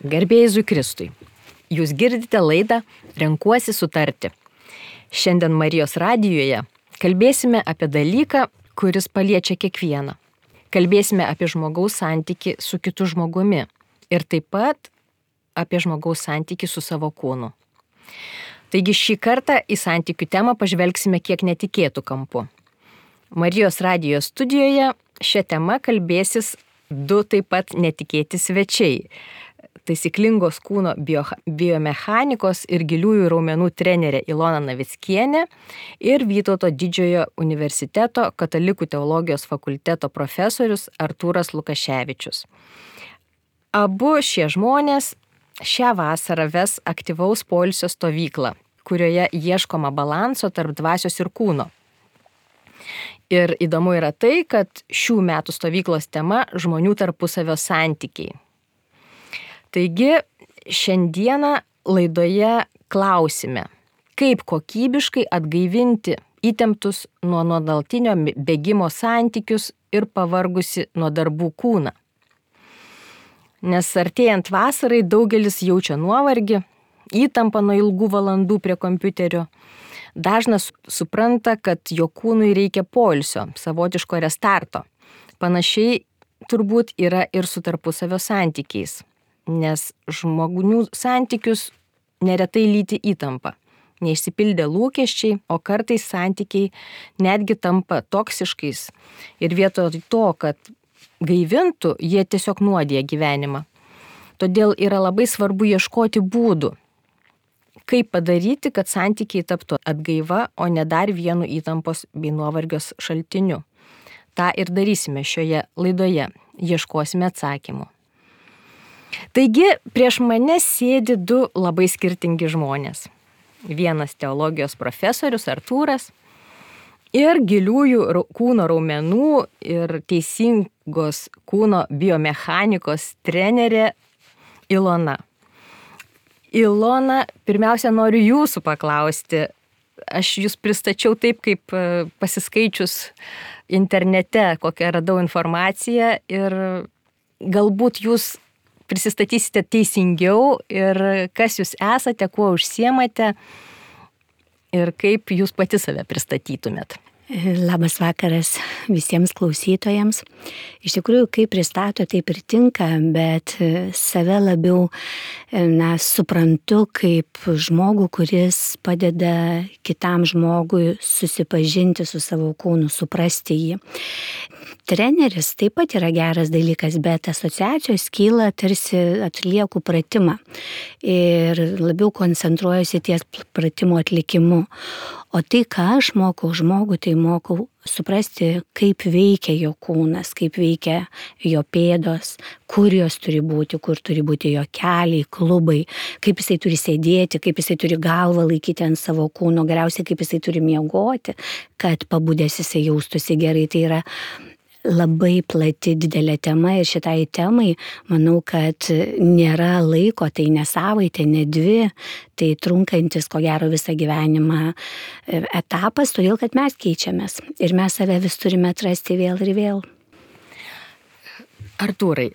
Garbė Jėzui Kristui. Jūs girdite laidą Renkuosi sutarti. Šiandien Marijos radijoje kalbėsime apie dalyką, kuris paliečia kiekvieną. Kalbėsime apie žmogaus santykį su kitu žmogumi ir taip pat apie žmogaus santykį su savo kūnu. Taigi šį kartą į santykių temą pažvelgsime kiek netikėtų kampu. Marijos radijos studijoje šią temą kalbėsis du taip pat netikėti svečiai. Taisyklingos kūno biomechanikos ir giliųjų raumenų trenerė Ilona Navickienė ir Vytauto Didžiojo universiteto katalikų teologijos fakulteto profesorius Artūras Lukaševičius. Abu šie žmonės šią vasarą ves aktyvaus poilsio stovyklą, kurioje ieškoma balanso tarp dvasios ir kūno. Ir įdomu yra tai, kad šių metų stovyklos tema – žmonių tarpusavio santykiai. Taigi, šiandieną laidoje klausime, kaip kokybiškai atgaivinti įtemptus nuo nuolatinio bėgimo santykius ir pavargusi nuo darbų kūną. Nes artėjant vasarai daugelis jaučia nuovargį, įtampą nuo ilgų valandų prie kompiuterio. Dažnas supranta, kad jo kūnui reikia poilsio, savotiško restarto. Panašiai turbūt yra ir su tarpusavio santykiais. Nes žmonių santykius neretai lydi įtampa, neišsipildė lūkesčiai, o kartais santykiai netgi tampa toksiškais ir vietoj to, kad gaivintų, jie tiesiog nuodija gyvenimą. Todėl yra labai svarbu ieškoti būdų, kaip padaryti, kad santykiai taptų atgaiva, o ne dar vienu įtampos bei nuovargios šaltiniu. Ta ir darysime šioje laidoje, ieškosime atsakymų. Taigi, prieš mane sėdi du labai skirtingi žmonės. Vienas teologijos profesorius Artūras ir giliųjų kūno raumenų ir teisingos kūno biomechanikos trenerė Ilona. Ilona, pirmiausia, noriu jūsų paklausti. Aš jūs pristačiau taip, kaip pasiskaičius internete, kokią radau informaciją ir galbūt jūs prisistatysite teisingiau ir kas jūs esate, kuo užsiemate ir kaip jūs pati save pristatytumėt. Labas vakaras visiems klausytojams. Iš tikrųjų, kaip pristato, taip ir tinka, bet save labiau suprantu kaip žmogų, kuris padeda kitam žmogui susipažinti su savo kūnu, suprasti jį. Treneris taip pat yra geras dalykas, bet asociacijos kyla tarsi atlieku pratimą ir labiau koncentruojuosi ties pratimo atlikimu. O tai, ką aš mokau žmogų, tai mokau suprasti, kaip veikia jo kūnas, kaip veikia jo pėdos, kur jos turi būti, kur turi būti jo keliai, klubai, kaip jisai turi sėdėti, kaip jisai turi galvą laikyti ant savo kūno, galiausiai kaip jisai turi miegoti, kad pabudęs jisai jaustųsi gerai. Tai yra labai plati didelė tema ir šitai temai, manau, kad nėra laiko, tai ne savaitė, ne dvi, tai trunkantis, ko gero, visą gyvenimą etapas, todėl, kad mes keičiamės ir mes save vis turime atrasti vėl ir vėl. Artūrai,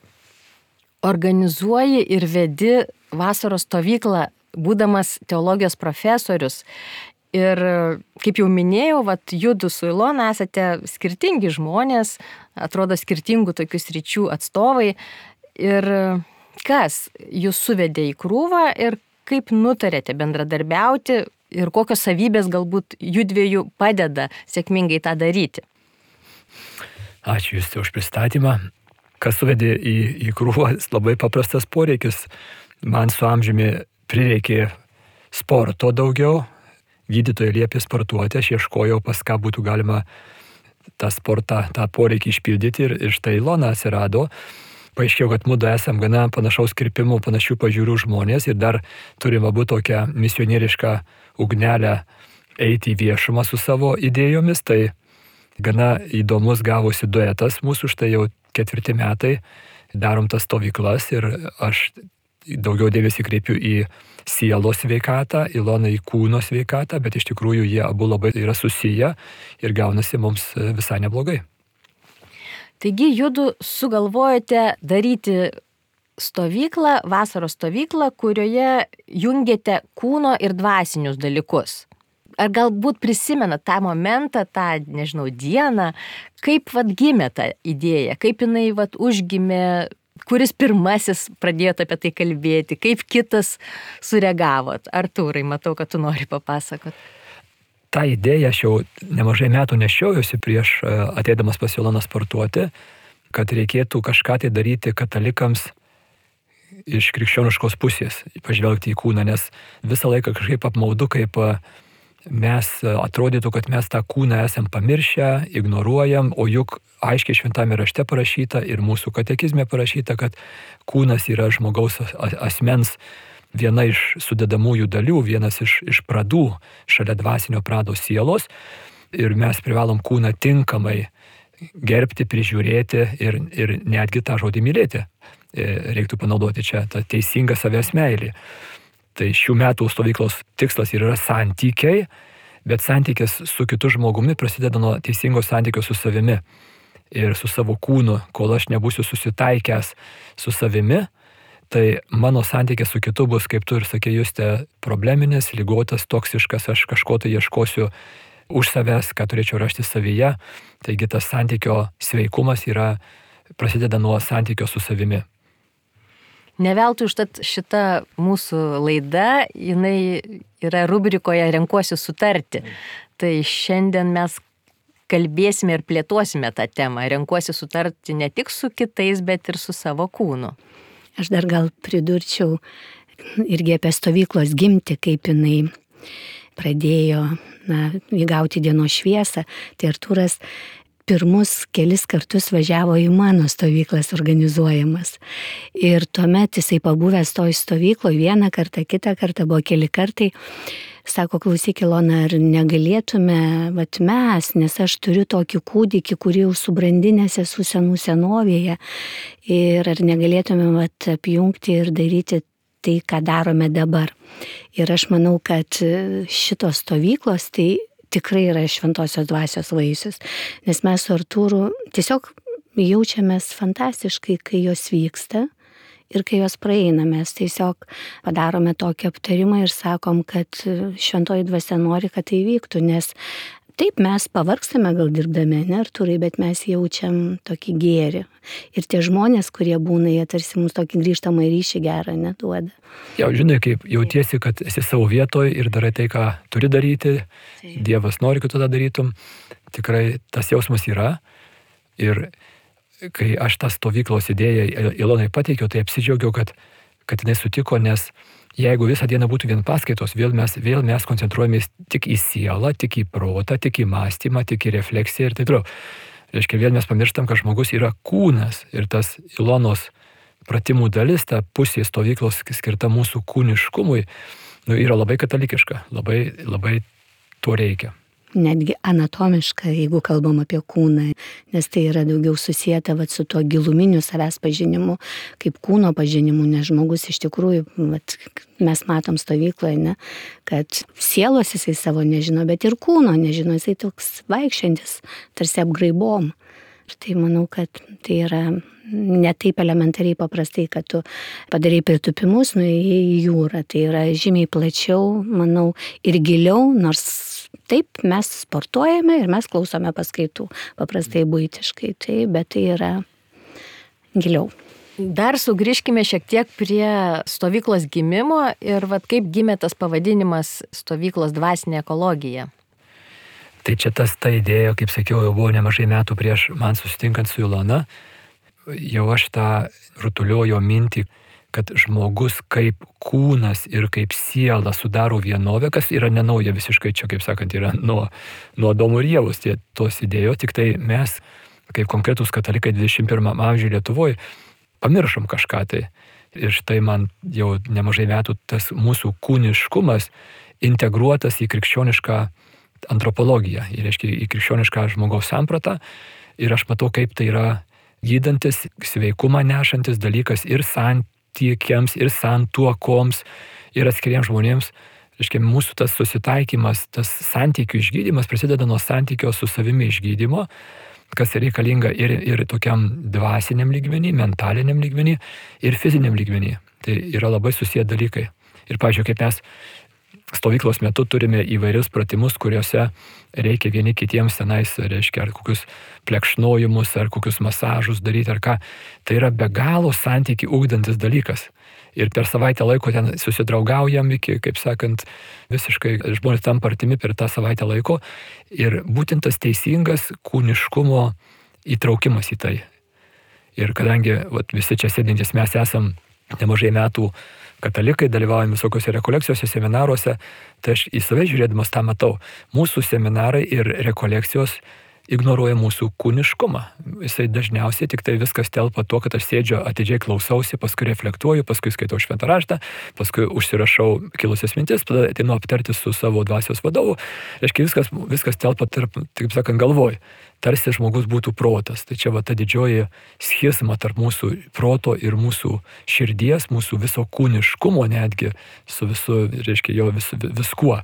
organizuoji ir vedi vasaros stovyklą, būdamas teologijos profesorius. Ir kaip jau minėjau, judu su Ilona esate skirtingi žmonės, atrodo skirtingų tokių sričių atstovai. Ir kas jūs suvedė į krūvą ir kaip nutarėte bendradarbiauti ir kokios savybės galbūt judviejų padeda sėkmingai tą daryti? Ačiū Jūs už pristatymą. Kas suvedė į krūvą, labai paprastas poreikis. Man su amžiumi prireikė sporto daugiau. Gydytojai liepė sportuoti, aš ieškojau, pas ką būtų galima tą sportą, tą poreikį išpildyti ir štai Ilona atsirado. Paaiškėjo, kad mudu esam gana panašaus kirpimų, panašių pažiūrų žmonės ir dar turim abu tokią misionierišką ugnelę eiti į viešumą su savo idėjomis. Tai gana įdomus gavosi duetas mūsų, štai jau 4 metai darom tas stovyklas ir aš daugiau dėmesį kreipiu į sielos sveikatą, Ilona į kūno sveikatą, bet iš tikrųjų jie abu labai yra susiję ir gaunasi mums visai neblogai. Taigi judu sugalvojate daryti stovyklą, vasaros stovyklą, kurioje jungiate kūno ir dvasinius dalykus. Ar galbūt prisimenat tą momentą, tą, nežinau, dieną, kaip gimė ta idėja, kaip jinai užgimė, kuris pirmasis pradėjote apie tai kalbėti, kaip kitas sureagavot? Artūrai, matau, kad tu nori papasakot. Ta idėja aš jau nemažai metų nešiojusi prieš ateidamas pas Iloną sportuoti, kad reikėtų kažką tai daryti katalikams iš krikščioniškos pusės, pažvelgti į kūną, nes visą laiką kažkaip apmaudu, kaip mes atrodytų, kad mes tą kūną esam pamiršę, ignoruojam, o juk aiškiai šventame rašte parašyta ir mūsų katekizme parašyta, kad kūnas yra žmogaus asmens viena iš sudedamųjų dalių, vienas iš pradų šalia dvasinio prado sielos ir mes privalom kūną tinkamai gerbti, prižiūrėti ir netgi tą žodį mylėti. Reiktų panaudoti čia tą teisingą savęs meilį. Tai šių metų stovyklos tikslas yra santykiai, bet santykis su kitu žmogumi prasideda nuo teisingo santykio su savimi ir su savo kūnu. Kol aš nebūsiu susitaikęs su savimi, tai mano santykis su kitu bus, kaip tu ir sakė Juste, probleminis, ligotas, toksiškas, aš kažko tai ieškosiu už savęs, ką turėčiau rasti savyje. Taigi tas santykio sveikumas prasideda nuo santykio su savimi. Neveltui užtat šita mūsų laida, jinai yra rubrikoje Renkuosi sutarti. Tai šiandien mes kalbėsime ir plėtosime tą temą. Renkuosi sutarti ne tik su kitais, bet ir su savo kūnu. Aš dar gal pridurčiau irgi apie stovyklos gimtį, kaip jinai pradėjo įgauti dienos šviesą. Tai Artūras pirmus kelis kartus važiavo į mano stovyklas organizuojamas. Ir tuomet jisai pabuvęs toj stovykloje vieną kartą, kitą kartą, buvo keli kartai, sako, klausyk Ilona, ar negalėtume, mes, nes aš turiu tokį kūdikį, kurį jau subrandinęs esu senų senovėje, ir ar negalėtume apjungti ir daryti tai, ką darome dabar. Ir aš manau, kad šitos stovyklos tai tikrai yra šventosios dvasios vaisius, nes mes su Artūru tiesiog jaučiamės fantastiškai, kai jos vyksta ir kai jos praeina. Mes tiesiog padarome tokį aptarimą ir sakom, kad šventoji dvasia nori, kad tai vyktų, nes taip mes pavargstame gal dirbdami, ne Artūrai, bet mes jaučiam tokį gėrį. Ir tie žmonės, kurie būna, jie tarsi mums tokį grįžtamą ryšį gerą neduoda. Jau žinai, kaip jautiesi, kad esi savo vietoje ir darai tai, ką turi daryti. Dievas nori, kad tu tą darytum. Tikrai tas jausmas yra. Ir kai aš tą stovyklos idėją Ilonai pateikiau, tai apsidžiaugiau, kad jinai sutiko, nes jeigu visą dieną būtų vien paskaitos, vėl mes koncentruojamės tik į sielą, tik į protą, tik į mąstymą, tik į refleksiją ir taip toliau. Reiškia, vėl mes pamirštam, kad žmogus yra kūnas ir tas Ilonos pratimų dalis, ta pusė stovyklos skirta mūsų kūniškumui, yra labai katalikiška, labai to reikia. Netgi anatomiška, jeigu kalbam apie kūną, nes tai yra daugiau susijęta su tuo giluminiu savęs pažinimu, kaip kūno pažinimu, nes žmogus iš tikrųjų, mes matom stovykloje, ne, kad sielos jisai savo nežino, bet ir kūno nežino, jisai toks vaikščiantis, tarsi apgraibom. Ir tai manau, kad tai yra ne taip elementariai paprastai, kad tu padarai pritupimus, nuėjai į jūrą. Tai yra žymiai plačiau, manau, ir giliau, nors taip mes sportuojame ir mes klausome paskaitų, paprastai buitiškai, bet tai yra giliau. Dar sugrįžkime šiek tiek prie stovyklos gimimo ir kaip gimė tas pavadinimas stovyklos dvasinė ekologija. Tai čia ta idėja, kaip sakiau, jau buvo nemažai metų prieš man susitinkant su Ilona. Jau aš tą rutuliojo mintį, kad žmogus kaip kūnas ir kaip siela sudaro vienovę, kas yra nenauja visiškai, čia kaip sakant, yra nuo Adomo ir Ievos tos idėjos, tik tai mes, kaip konkretus katalikai 21 amžiuje Lietuvoje, pamiršom kažką tai. Ir štai man jau nemažai metų tas mūsų kūniškumas integruotas į krikščionišką antropologiją, reiškia į krikščionišką žmogaus sampratą. Ir aš matau, kaip tai yra gydantis, sveikumą nešantis dalykas ir santykiams, ir santuokoms, ir atskiriems žmonėms. Reiškia, mūsų tas susitaikymas, tas santykių išgydymas prasideda nuo santykio su savimi išgydymo. kas reikalinga ir tokiam dvasiniam lygmenį, mentaliniam lygmenį ir fiziniam lygmenį. Tai yra labai susiję dalykai. Ir, pavyzdžiui, kaip mes stovyklos metu turime įvairius pratimus, kuriuose reikia vieni kitiems tenais, reiškia, ar kokius plekšnojimus, ar kokius masažus daryti, ar ką. Tai yra be galo santykį ugdantis dalykas. Ir per savaitę laiko ten susidraugaujam iki, kaip sakant, visiškai žmonės tampa artimi per tą savaitę laiko. Ir būtent tas teisingas kūniškumo įtraukimas į tai. Ir kadangi visi čia sėdintys mes esam nemažai metų katalikai, dalyvaujame visokiose rekolekcijose, seminaruose, tai aš į save žiūrėdamas tą matau. Mūsų seminarai ir rekolekcijos ignoruoja mūsų kūniškumą. Jisai dažniausiai tik tai viskas telpa tuo, kad aš sėdžiu, atidžiai klausausi, paskui reflektuoju, paskui skaitau šventą raštą, paskui užsirašau kilusias mintis, tada ateinu aptarti su savo dvasios vadovu. Reiškia, viskas telpa tarp, taip sakant, galvoj. Tarsi žmogus būtų protas. Tai čia ta didžioji schizma tarp mūsų proto ir mūsų širdies, mūsų viso kūniškumo netgi, su visu, reiškia, jo viskuo.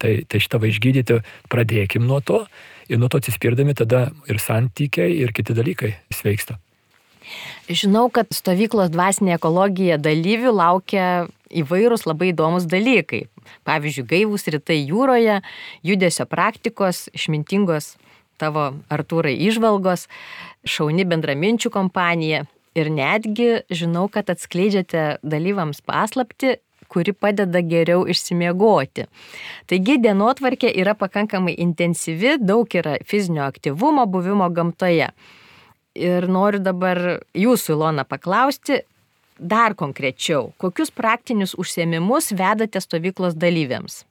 Tai šitą išgydyti pradėkim nuo to ir nuo to atsispirdami tada ir santykiai, ir kiti dalykai sveiksta. Žinau, kad stovyklos dvasinė ekologija dalyvių laukia įvairūs labai įdomus dalykai. Pavyzdžiui, gaivūs rytai jūroje, judesio praktikos, išmintingos tavo, Artūrai, įžvalgos, šauni bendraminčių kompanija ir netgi žinau, kad atskleidžiate dalyvams paslaptį, kuri padeda geriau išsimiegoti. Taigi dienotvarkė yra pakankamai intensyvi, daug yra fizinio aktyvumo, buvimo gamtoje. Ir noriu dabar jūsų, Ilona, paklausti dar konkrečiau, kokius praktinius užsiėmimus vedate stovyklos dalyviams?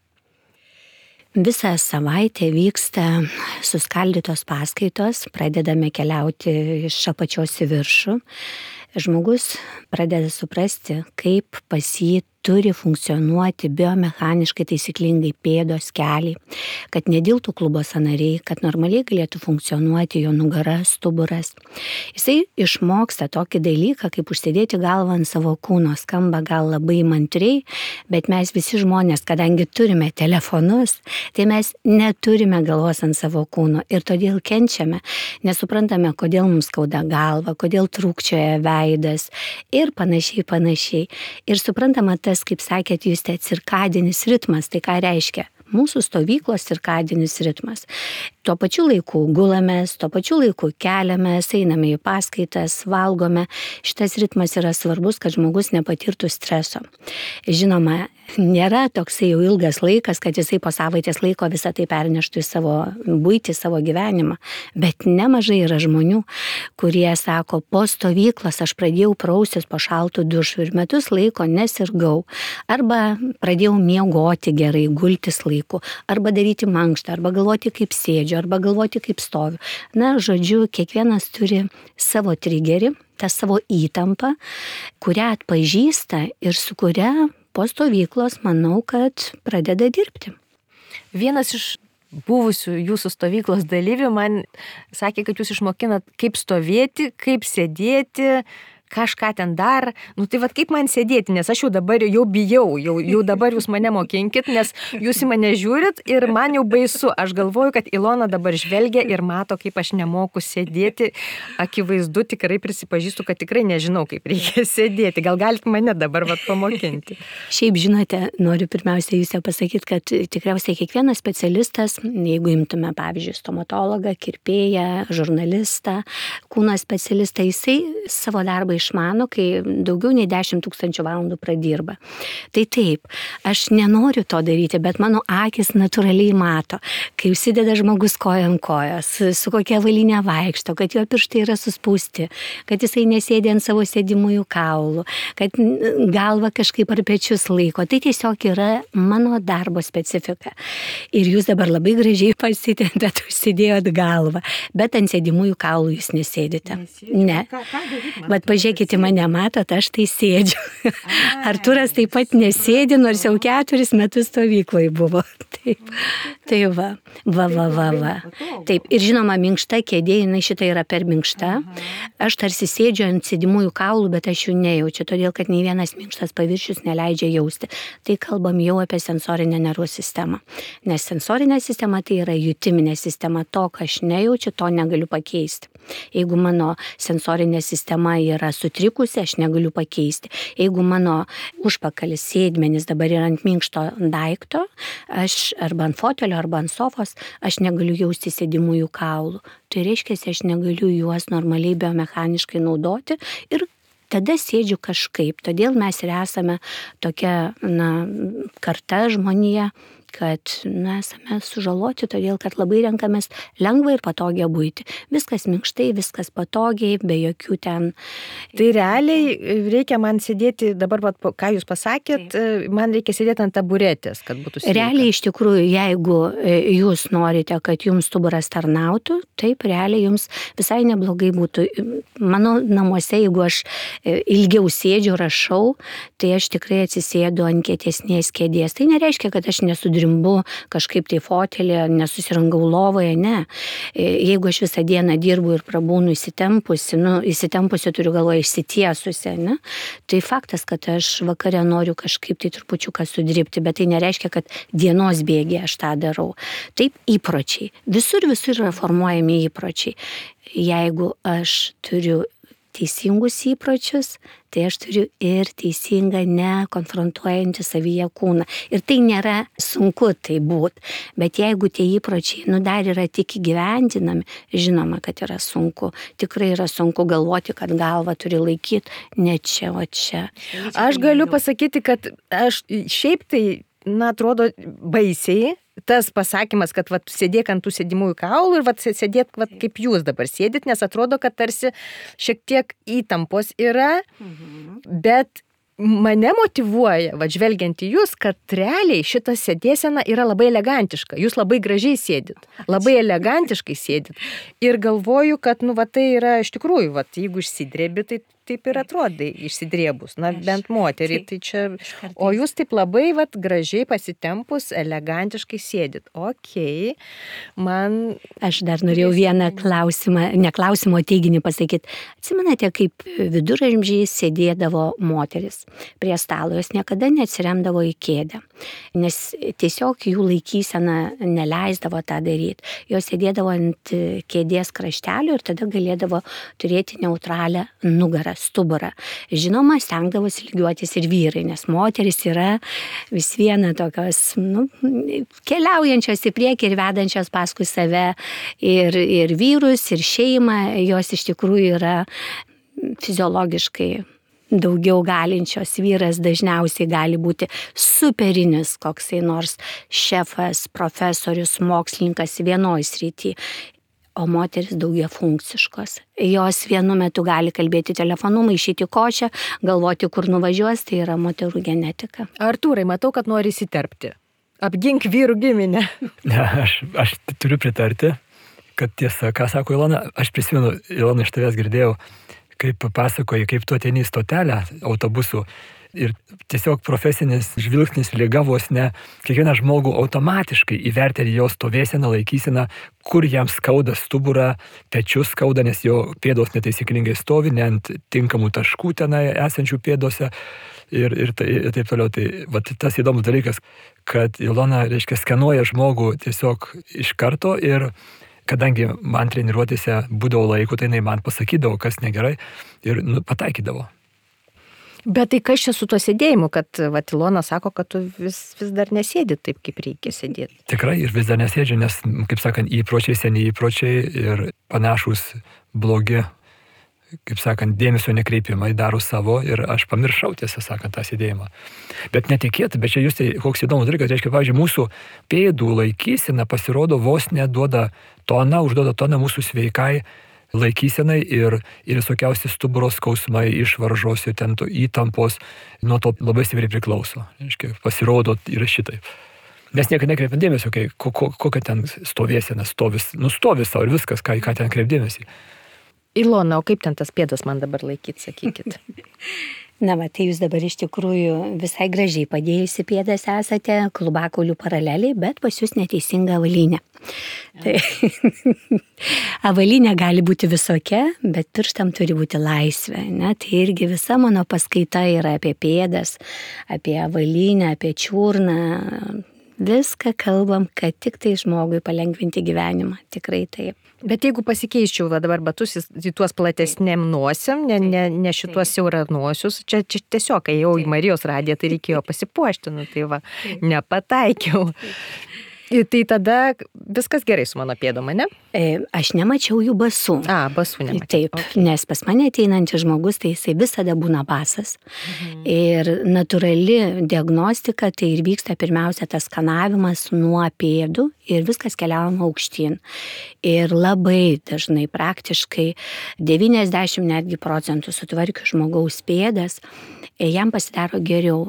Visą savaitę vyksta suskaldytos paskaitos, pradedame keliauti iš apačios į viršų. Žmogus pradeda suprasti, kaip pas jį turi funkcionuoti biomechaniškai taisyklingai pėdos, keliai, kad nediltų klubo sąnariai, kad normaliai galėtų funkcionuoti jo nugara, stuburas. Jisai išmoksta tokį dalyką, kaip užsidėti galvą ant savo kūno. Skamba gal labai mantriai, bet mes visi žmonės, kadangi turime telefonus, tai mes neturime galvos ant savo kūno ir todėl kenčiame, nesuprantame, kodėl mums skauda galva, kodėl trūkčioja veidas ir panašiai. Ir suprantama, kaip sakėt, jūs cirkadinis ritmas, tai ką reiškia? Mūsų stovyklos cirkadinis ritmas. Tuo pačiu laiku gulamės, tuo pačiu laiku keliamės, einame į paskaitas, valgome. Šitas ritmas yra svarbus, kad žmogus nepatirtų streso. Žinoma, nėra toksai jau ilgas laikas, kad jisai po savaitės laiko visą tai perneštų į savo buitį, savo gyvenimą. Bet nemažai yra žmonių, kurie sako, po stovyklos aš pradėjau praustis po šaltų dušų ir metus laiko nesirgau. Arba pradėjau miegoti gerai, gultis laiku, arba daryti mankštą, arba galvoti kaip sėdžiu, arba galvoti kaip stoviu. Na, žodžiu, kiekvienas turi savo trigerį, tą savo įtampą, kurią atpažįsta ir su kuria po stovyklos, manau, kad pradeda dirbti. Vienas iš buvusių jūsų stovyklos dalyvių man sakė, kad jūs išmokinat, kaip stovėti, kaip sėdėti, kažką ten dar. Tai kaip man sėdėti, nes aš jau dabar jau bijau, jau dabar jūs mane mokinkit, nes jūs į mane žiūrit ir man jau baisu. Aš galvoju, kad Ilona dabar žvelgia ir mato, kaip aš nemoku sėdėti. Akivaizdu, tikrai prisipažįstu, kad tikrai nežinau, kaip reikia sėdėti. Gal galit mane dabar pamokinti? Šiaip žinote, noriu pirmiausia jūs pasakyti, kad tikriausiai kiekvienas specialistas, jeigu imtume, pavyzdžiui, stomatologą, kirpėją, žurnalistą, kūno specialistą, jisai savo darbą išmano, kai daugiau nei 10 000 valandų pradirba. Tai taip, aš nenoriu to daryti, bet mano akis natūraliai mato, kai užsideda žmogus koja ant kojos, su kokia avalyne vaikšto, kad jo pirštai yra suspausti, kad jisai nesėdė ant savo sėdimųjų kaulų, kad galva kažkaip ar pečius laiko. Tai tiesiog yra mano darbo specifika. Ir jūs dabar labai gražiai pasitėt, užsidėjot galvą, bet ant sėdimųjų kaulų jūs nesėdite. Ne. Bet pažiūrėkite, žiūrėkite, mane matot, aš tai sėdžiu. Artūras taip pat nesėdi, nors jau 4 metus stovykloje buvo. Taip, tai va. Taip, ir žinoma, minkšta kėdė, jinai šitą yra per minkšta. Aš tarsi sėdžiu ant sėdimųjų kaulų, bet aš jų nejaučiu, todėl kad nei vienas minkštas paviršius neleidžia jausti. Tai kalbam jau apie sensorinę nervų sistemą. Nes sensorinė sistema tai yra jutiminė sistema, to, ką aš nejaučiu, to negaliu pakeisti. Jeigu mano sensorinė sistema yra sutrikusi, aš negaliu pakeisti. Jeigu mano užpakalis sėdmenis dabar yra ant minkšto daikto, aš arba ant fotelio, arba ant sofos, aš negaliu jausti sėdimųjų kaulų. Tai reiškia, aš negaliu juos normaliai biomechaniškai naudoti ir tada sėdžiu kažkaip. Todėl mes ir esame tokia karta žmonija, kad esame sužaloti, todėl kad labai renkamės lengvą ir patogią buitį. Viskas minkštai, viskas patogiai, be jokių ten. Tai realiai reikia man sėdėti, dabar, ką jūs pasakėt, man reikia sėdėti ant taburetės, kad būtų sveika. Realiai iš tikrųjų, jeigu jūs norite, kad jums stuburas tarnautų, taip realiai jums visai neblogai būtų. Mano namuose, jeigu aš ilgiau sėdžiu, rašau, tai aš tikrai atsisėdu ant kietesnės kėdės. Tai nereiškia, kad aš nesudrimbu kažkaip tai fotelė, nesusirangau lovoje, ne. Jeigu aš visą dieną dirbu ir prabūnu įsitempusi turiu galvoje išsitiesusi, ne, tai faktas, kad aš vakare noriu kažkaip tai trupučiuką sudribti, bet tai nereiškia, kad dienos bėgyje aš tą darau. Taip, įpročiai. Visur yra formuojami įpročiai. Jeigu aš turiu teisingus įpročius, tai aš turiu ir teisingą nekonfrontuojantį savyje kūną. Ir tai nėra sunku tai būt, bet jeigu tie įpročiai dar yra tik įgyvendinami, žinoma, kad yra sunku. Tikrai yra sunku galvoti, kad galvą turi laikyti ne čia, o čia. Aš galiu pasakyti, kad aš šiaip tai, atrodo baisiai, tas pasakymas, kad sėdėk ant tų sėdimųjų kaulų ir sėdėk kaip jūs dabar sėdit, nes atrodo, kad tarsi šiek tiek įtampos yra, bet mane motyvuoja, žvelgiant į jūs, kad realiai šita sėdėsena yra labai elegantiška. Jūs labai gražiai sėdit, labai elegantiškai sėdit. Ir galvoju, kad tai yra iš tikrųjų, jeigu išsidrėbi, tai taip ir atrodai išsidrėbus, bent moterį. Tai čia, o jūs taip labai gražiai pasitempus, elegantiškai sėdit. Okei, man... Aš dar norėjau vieną klausimą, teiginį pasakyti. Atsimenate, kaip viduramžiais sėdėdavo moteris prie stalo, jos niekada neatsiremdavo į kėdę, nes tiesiog jų laikysena neleisdavo tą daryti. Jos sėdėdavo ant kėdės kraštelio ir tada galėdavo turėti neutralią nugarą, stuburą. Žinoma, stengdavosi lygiuotis ir vyrai, nes moteris yra vis viena tokios, keliaujančios į priekį ir vedančios paskui save ir vyrus, ir šeimą, jos iš tikrųjų yra fiziologiškai daugiau galinčios. Vyras dažniausiai gali būti superinis koksai nors šefas, profesorius, mokslininkas vienoj srity, o moteris daugiafunkciškos. Jos vienu metu gali kalbėti telefonu, maišyti košę, galvoti, kur nuvažiuos, tai yra moterų genetika. Artūrai, matau, kad nori įsiterpti. Apgink vyrų giminę. Ne, aš turiu pritarti, kad tiesa, ką sako Ilona, aš prisimenu, Ilona, iš tavęs girdėjau, kaip pasakoji, kaip tu ateini į stotelę autobusų ir tiesiog profesinis žvilgsnis lyga vos ne kiekvieną žmogų automatiškai įvertini jo stovėseną, laikyseną, kur jam skauda stuburą, pečius skauda, nes jo pėdos netaisyklingai stovi, ne ant tinkamų taškų tenai esančių pėdose ir taip toliau. Tai tas įdomus dalykas, kad Ilona, skenuoja žmogų tiesiog iš karto ir kadangi man treniruotėse būdavo laiko, tai jinai man pasakydavo, kas negerai ir pataikydavo. Bet tai kas čia su tuo sėdėjimu, kad Ilona sako, kad tu vis dar nesėdi taip, kaip reikia sėdėti? Tikrai ir vis dar nesėdžiu, nes, kaip sakant, įpročiai, seni įpročiai ir panašus blogi, kaip sakant, dėmesio nekreipimai daro savo ir aš pamiršau, tiesą sakant, tą sėdėjimą. Bet netikėt, bet čia jūs tai koks įdomus dalykas, reiškia, pavyzdžiui, mūsų pėdų laikysena pasirodo vos neduoda toną, užduoda toną mūsų sveikai laikysenai ir visokiausi stuburo skausmai, išvaržos ir ten įtampos nuo to labai stipriai priklauso. Reiškia, pasirodo yra šitaip. Mes niekada nekreipiam dėmesio, kokia ten stovėsena, stovi savo ir viskas, ką ten kreipdėmėsi. Ilona, o kaip ten tas pėdas man dabar laikyti, sakykit? Na, tai jūs dabar iš tikrųjų visai gražiai padėjusi pėdas esate, klubakaulių paraleliai, bet pas jūs neteisinga avalynė. Tai avalynė gali būti visokia, bet pirštam turi būti laisvė. Ne? Tai irgi visa mano paskaita yra apie pėdas, apie avalynę, apie čiurną. Viską kalbam, kad tik tai žmogui palengvinti gyvenimą. Tikrai taip. Bet jeigu pasikeiščiau dabar batus į tuos platesnėm nosiam, ne šituos siauranosius, čia tiesiog, kai jau į Marijos radiją, tai reikėjo pasipuošti, tai va, nepataikiau. Tai tada viskas gerai su mano pėdom, ne? Aš nemačiau jų basų. Basų nemačiau. Taip, nes pas mane ateinantis žmogus, tai jisai visada būna basas. Ir natūrali diagnostika, tai ir vyksta pirmiausia tas skanavimas nuo pėdų ir viskas keliaujama aukštyn. Ir labai dažnai, praktiškai 90 netgi procentų sutvarkių žmogaus pėdas, jam pasidaro geriau.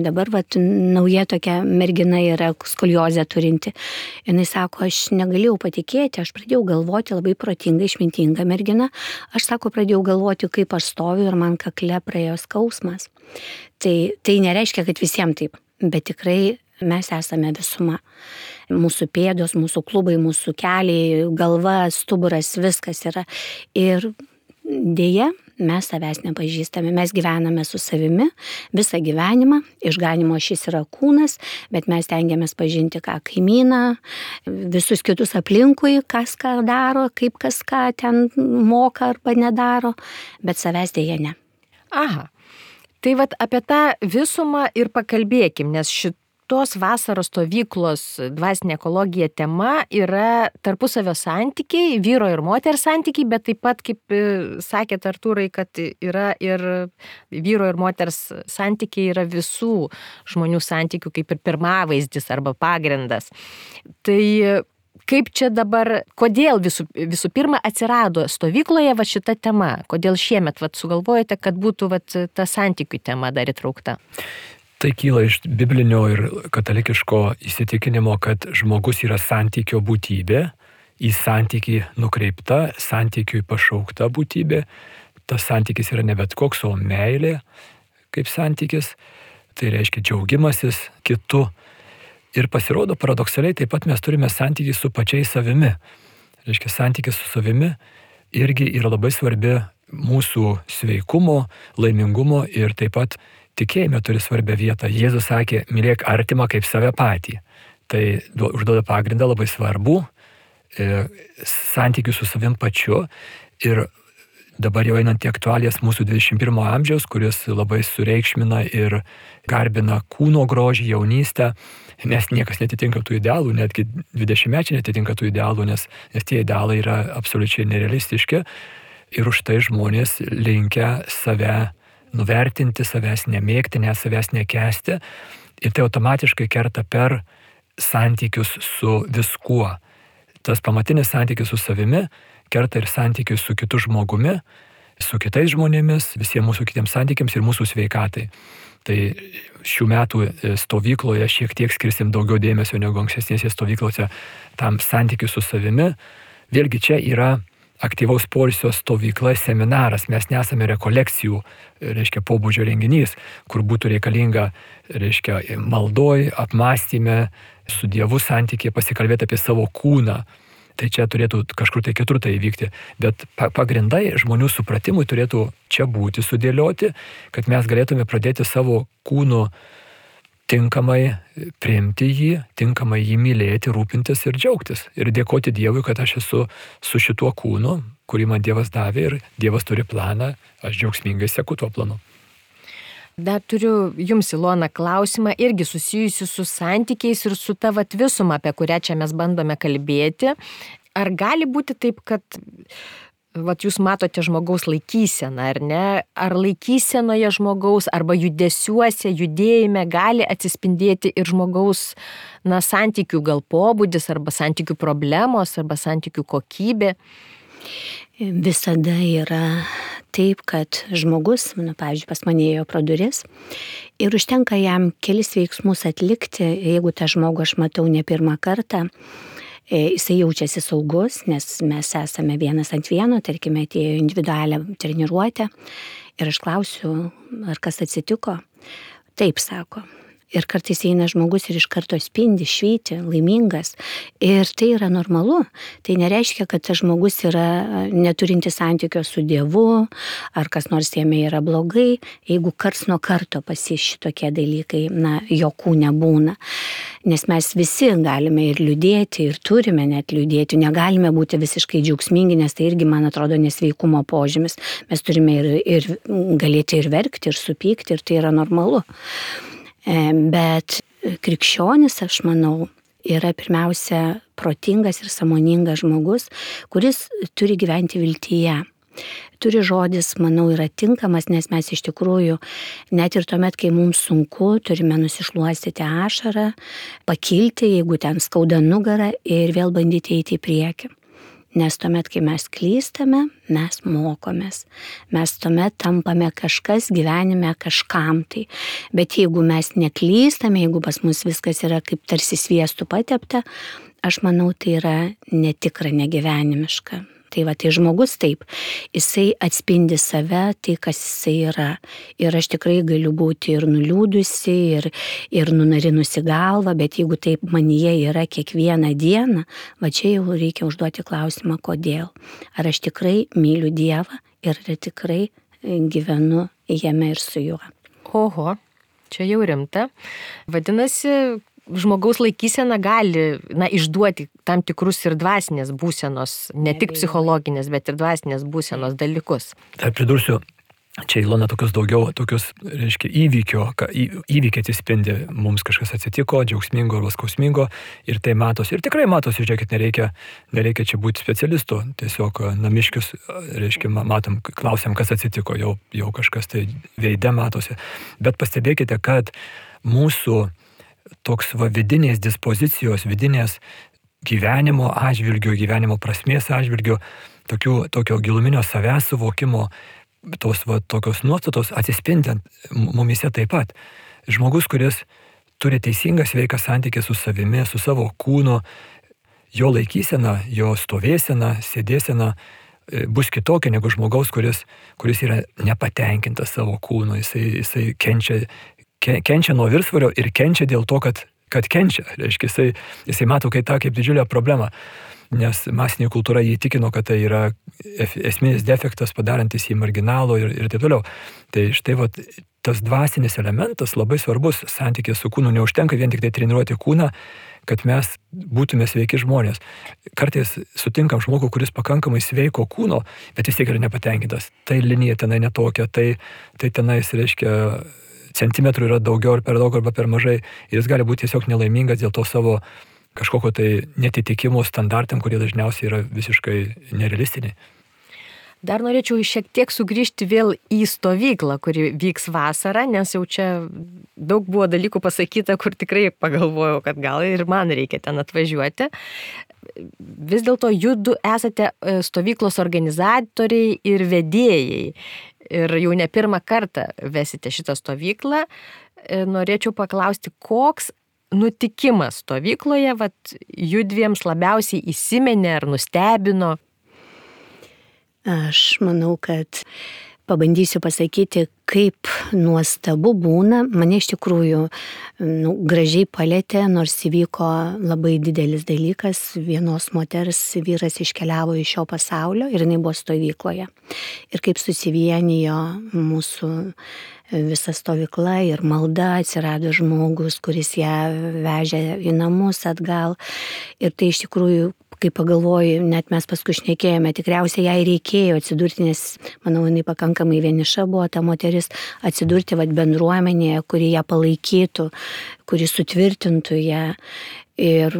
Dabar nauja tokia mergina yra skoliozę turinti. Jis sako, aš negalėjau patikėti, aš pradėjau galvoti labai protinga, išmintinga mergina. Aš pradėjau galvoti, kaip aš stoviu ir man kakle praėjo skausmas. Tai nereiškia, kad visiems taip, bet tikrai mes esame visuma. Mūsų pėdos, mūsų klubai, mūsų keliai, galva, stuburas, viskas yra. Ir dėja, mes savęs nepažįstame, mes gyvename su savimi visą gyvenimą, išganimo šis yra kūnas, bet mes tengiamės pažinti ką kaimyną, visus kitus aplinkui, kas ką daro, kaip kas ką ten moka arba nedaro, bet savęs dėja ne. Aha, tai apie tą visumą ir pakalbėkim, nes šitos vasaros stovyklos dvasinė ekologija tema yra tarpusavio santykiai, vyro ir moters santykiai, bet taip pat, kaip sakėt Artūrai, kad yra ir vyro ir moters santykiai yra visų žmonių santykių kaip ir pirmavaizdis arba pagrindas. Tai kaip čia dabar, kodėl visų pirma atsirado stovykloje šita tema? Kodėl šiemet sugalvojate, kad būtų ta santykių tema dar įtraukta? Tai kyla iš biblinio ir katalikiško įsitikinimo, kad žmogus yra santykio būtybė, į santykį nukreipta, santykiui pašaukta būtybė. Tas santykis yra ne bet koks, o meilė kaip santykis. Tai reiškia džiaugimasis kitu. Ir pasirodo, paradoksaliai, taip pat mes turime santykį su pačiais savimi. Reiškia, santykis su savimi irgi yra labai svarbi mūsų sveikumo, laimingumo ir taip pat tikėjime turi svarbią vietą. Jėzus sakė, mylėk artimą kaip save patį. Tai užduoda pagrindą labai svarbu santykių su savim pačiu. Ir dabar jau einant į aktualijas mūsų 21 amžiaus, kuris labai sureikšmina ir garbina kūno grožį, jaunystę, nes niekas netitinka tų idealų, netgi 20-mečiai netitinka tų idealų, nes tie idealai yra absoliučiai nerealistiški. Ir už tai žmonės linkę save nuvertinti, savęs nemėgti, net savęs nekęsti. Ir tai automatiškai kerta per santykius su viskuo. Tas pamatinis santykis su savimi kerta ir santykius su kitu žmogumi, su kitais žmonėmis, visiems mūsų kitiems santykiams ir mūsų sveikatai. Tai šių metų stovykloje šiek tiek skirsim daugiau dėmesio negu ankstesnėse stovyklose tam santykiu su savimi. Vėlgi čia yra aktyvaus poilsio stovykla, seminaras. Mes nesame rekolekcijų, pobūdžio renginys, kur būtų reikalinga, maldoj, apmąstyme, su Dievu santykiai, pasikalbėti apie savo kūną. Tai čia turėtų kažkur tai kitur tai įvykti. Bet pagrindai žmonių supratimui turėtų čia būti sudėlioti, kad mes galėtume pradėti savo kūnu tinkamai priimti jį, tinkamai jį mylėti, rūpintis ir džiaugtis. Ir dėkoti Dievui, kad aš esu su šituo kūnu, kurį man Dievas davė ir Dievas turi planą, aš džiaugsmingai seku tuo planu. Dar turiu jums, Ilona, klausimą irgi susijusi su santykiais ir su ta visuma, apie kurią čia mes bandome kalbėti. Ar gali būti taip, kad jūs matote žmogaus laikyseną, ar ne? Ar laikysenoje žmogaus arba judesiuose, judėjime gali atsispindėti ir žmogaus santykių gal pobūdis, arba santykių problemos, arba santykių kokybė? Visada yra taip, kad žmogus, pavyzdžiui, pas mane ėjo pro duris ir užtenka jam kelis veiksmus atlikti, jeigu tą žmogų aš matau ne pirmą kartą, jisai jaučiasi saugus, nes mes esame vienas ant vieno, tarkime, atėjo individualią treniruotę ir aš klausiu, ar kas atsitiko. Taip, sako. Ir kartais eina žmogus ir iš karto spindi, švyti, laimingas. Ir tai yra normalu. Tai nereiškia, kad tas žmogus yra neturinti santykio su Dievu, ar kas nors jame yra blogai, jeigu karts nuo karto šitokie dalykai, jo kūne būna. Nes mes visi galime ir liūdėti, ir turime net liūdėti, negalime būti visiškai džiaugsmingi, nes tai irgi, man atrodo, nesveikumo požymis. Mes turime ir galėti ir verkti, ir supykti, ir tai yra normalu. Bet krikščionis, aš manau, yra pirmiausia protingas ir sąmoningas žmogus, kuris turi gyventi viltyje. Turi žodis, manau, yra tinkamas, nes mes iš tikrųjų, net ir tuomet, kai mums sunku, turime nusišluostyti ašarą, pakilti, jeigu ten skauda nugarą ir vėl bandyti eiti į priekį. Nes tuomet, kai mes klystame, mes mokomės. Mes tuomet tampame kažkas gyvenime kažkam tai. Bet jeigu mes neklystame, jeigu pas mus viskas yra kaip tarsi sviestu patepta, aš manau, tai yra netikra, negyvenimiška. Tai žmogus taip, jisai atspindi save, tai kas jisai yra. Ir aš tikrai galiu būti ir nuliūdusi, ir nunarinusi galvą, bet jeigu taip manyje yra kiekvieną dieną, čia jau reikia užduoti klausimą, kodėl. Ar aš tikrai myliu Dievą ir ar tikrai gyvenu jame ir su juo. Oho, čia jau rimta. Vadinasi, žmogaus laikysena gali išduoti tam tikrus ir dvasinės būsenos, ne tik psichologinės, bet ir dvasinės būsenos dalykus. Tai pridursiu, čia Ilona reiškia įvykiai atsispindi, mums kažkas atsitiko, džiaugsmingo arba skausmingo, ir tai matosi. Ir tikrai matosi, žiūrėkit, nereikia čia būti specialistu, tiesiog namiškius, reiškia, matom, klausiam, kas atsitiko, jau kažkas tai veide matosi. Bet pastebėkite, kad mūsų toks vidinės dispozicijos, vidinės gyvenimo atžvilgių, gyvenimo prasmės atžvilgių, tokio giluminio savęs suvokimo, tokios nuostatos atsispindant mumise taip pat. Žmogus, kuris turi teisingą sveiką santykį su savimi, su savo kūnu, jo laikysena, jo stovėsena, sėdėsena bus kitokia negu žmogaus, kuris yra nepatenkintas savo kūnu, jisai kenčia nuo viršsvorio ir kenčia dėl to, kad kenčia. Reiškia, jisai mato tą kaip didžiulę problemą, nes masinė kultūra jį įtikino, kad tai yra esminis defektas, padarantis jį marginalų ir taip toliau. Tai štai tas dvasinis elementas labai svarbus santykis su kūnu. Neužtenka vien tik tai treniruoti kūną, kad mes būtume sveiki žmonės. Kartais sutinkam žmogų, kuris pakankamai sveiko kūno, bet vis tiek yra nepatenkintas. Tai linija tenai netokia, tai tenais, reiškia, centimetrų yra daugiau ar per daug arba per mažai. Ir jis gali būti tiesiog nelaimingas dėl to savo kažkokio tai netitikimo standartam, kurie dažniausiai yra visiškai nerealistiniai. Dar norėčiau šiek tiek sugrįžti vėl į stovyklą, kuri vyks vasarą, nes jau čia daug buvo dalykų pasakyta, kur tikrai pagalvojau, kad gal ir man reikia ten atvažiuoti. Vis dėlto judu esate stovyklos organizatoriai ir vedėjai. Ir jau ne pirmą kartą vesite šitą stovyklą. Norėčiau paklausti, koks nutikimas stovykloje judviems labiausiai įsiminė ar nustebino? Aš manau, kad pabandysiu pasakyti, kaip nuostabu būna. Mane iš tikrųjų gražiai palėtė, nors įvyko labai didelis dalykas. Vienos moters vyras iškeliavo iš šio pasaulio ir jinai buvo stovykloje. Ir kaip susivienijo mūsų visa stovykla ir malda, atsirado žmogus, kuris ją vežė į namus atgal. Ir tai iš tikrųjų, kai pagalvoju, net mes paskui šnekėjome, tikriausiai jai reikėjo atsidurti, nes, manau, jinai pakankamai vieniša buvo ta moteris, atsidurti bendruomenėje, kuri ją palaikytų, kuri sutvirtintų ją. Ir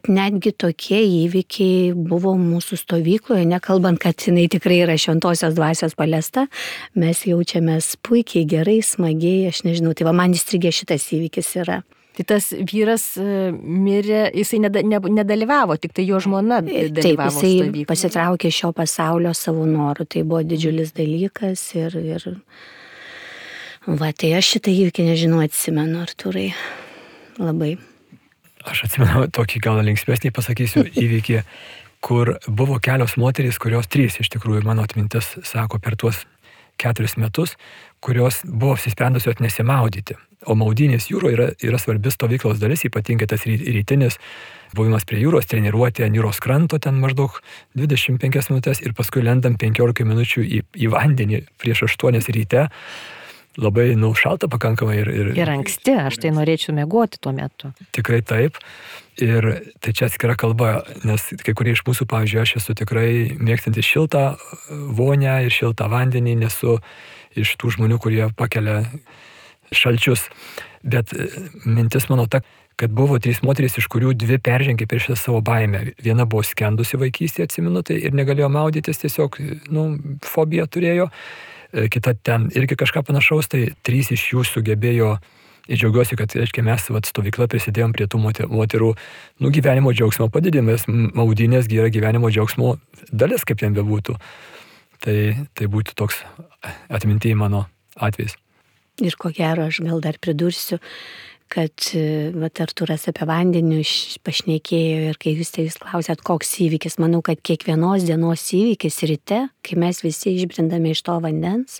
netgi tokie įvykiai buvo mūsų stovykloje, nekalbant, kad jinai tikrai yra šventosios dvasios paliesta, mes jaučiamės puikiai, gerai, smagiai, aš nežinau, tai man įstrigė šitas įvykis yra. Tai tas vyras mirė, jisai nedalyvavo, tik tai jo žmona dalyvavo. Taip, jisai pasitraukė šio pasaulio savo norų, tai buvo didžiulis dalykas ir tai aš šitą įvykį, nežinau, atsimenu, Artūrai, labai. Aš atsimenu tokį gal linksmesnį pasakysiu įvykį, kur buvo kelios moterys, kurios 3 iš tikrųjų, mano atmintis sako, per tuos 4 metus, kurios buvo apsisprendusios nesimaudyti. O maudynės jūroje yra svarbi stovyklos dalis, ypatingai tas rytinis buvimas prie jūros, treniruotė ant jūros kranto ten maždaug 25 minutės ir paskui lendam 15 minučių į vandenį prieš 8 ryte. Labai šalta pakankamai. Ir anksti, aš tai norėčiau miegoti tuo metu. Tikrai taip. Ir tai čia atskira kalba, nes kai kurie iš mūsų, pavyzdžiui, aš esu tikrai mėgstantis šiltą vonę ir šiltą vandenį, nesu iš tų žmonių, kurie pakelia šalčius. Bet mintis mano ta, kad buvo 3 moterys, iš kurių 2 peržengė per šitą savo baimę. Viena buvo skendusi vaikystėje, atsimenu, tai ir negalėjo maudytis, tiesiog, fobiją turėjo. Kita ten irgi kažką panašaus, tai 3 iš jų sugebėjo. Ir džiaugiuosi, kad, reiškia, mes stovykla prisidėjom prie tų moterų gyvenimo džiaugsmo padidinimas. Maudynės yra gyvenimo džiaugsmo dalis, kaip ten bebūtų. Tai būtų toks atmintyje mano atvejs. Ir ko gero, aš gal dar pridursiu, kad Artūras apie vandenį pašnekėjo ir kai jūs klausėt, koks įvykis, manau, kad kiekvienos dienos įvykis ryte, kai mes visi išbrindame iš to vandens